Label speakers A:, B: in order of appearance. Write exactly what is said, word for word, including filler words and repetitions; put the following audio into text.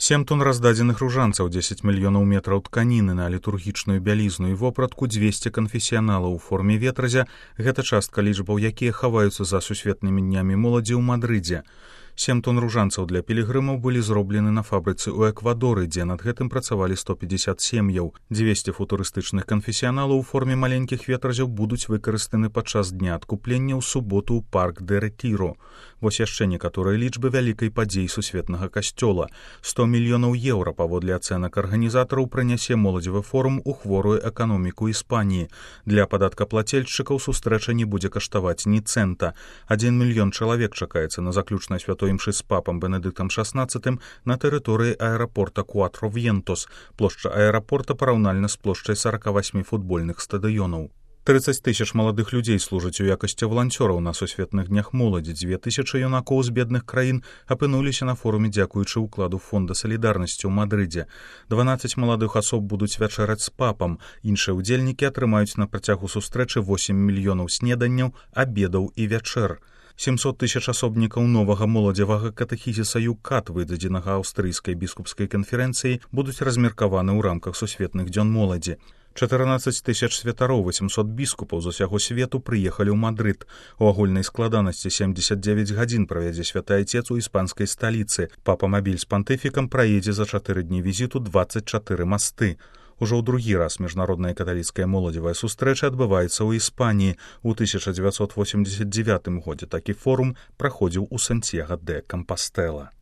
A: Сем тонн раздадзеных ружанцаў, дзесяць мільёнаў метраў тканіны на літургічную бялізну і вопратку, дзвесце канфесіяналаў у форме ветразя – гэта частка лічбаў, якія хаваюцца за сусветнымі днямі моладзі ў Мадрыдзе. Сем тонн ружанцаў для пілігрымаў былі зроблены на фабрыцы ў Эквадоры, дзе над гэтым працавалі сто пятьдесят сем'яў. дзвесце футурыстычных канфесіяналаў у форме маленькіх ветразяў будуць выкарыстаны падчас дня адкуплення ў суботу ў парк де Ретиро. Вось яшчэ некаторыя лічбы вялікай падзеі сусветнага касцёла. сто мільёнаў еўра, паводле ацэнак арганізатараў, прынясе моладзевы форум у хворую эканоміку Іспаніі. Для падаткаплацельшчыкаў сустрэча не будзе каштаваць ні цэнта. Адзін мільён чалавек чакаецца на заключнай святой імшы з папам Бенедыктам шаснаццатым на тэрыторыі аэрапорта Куатро Вьентос. Плошча аэрапорта параўнальна з плошчай сорок восемь футбольных стадыёнаў. трыццаць тысяч маладых людзей служаць у якасці валанцёраў на сусветных днях моладзі. Дзве тысячы юнакоў з бедных краін апынуліся на форуме дзякуючы ўкладу фонда салідарнасці ў Мадрыдзе. дванаццаць маладых асоб будуць вячэраць з папам. Іншыя ўдзельнікі атрымаюць на працягу сустрэчы восем мільёнаў снеданняў, абедаў і вячэр. семьсот тысяч асобнікаў новага моладзевага катэхізіса ЮКАТ, выдадзенага аўстрыйскай біскупскай канферэнцыі, будуць размеркаваны ў рамках сусветных дзён моладзі. чатырнаццаць тысяч святароў, восемьсот біскупаў з усяго свету прыехалі ў Мадрыд. У агульнай складанасці семьдесят девять гадзін правядзе святы айцец у іспанскай сталіцы. Папа-мабіль з пантыфікам праедзе за чатыры дні візіту дваццаць чатыры масты. Ужо ў другі раз міжнародная каталіцкая моладзевая сустрэча адбываецца ў Іспаніі. У тысяча дзевяцьсот восемьдесят девятым годзе такі форум праходзіў у Сантьяго де Кампастэла.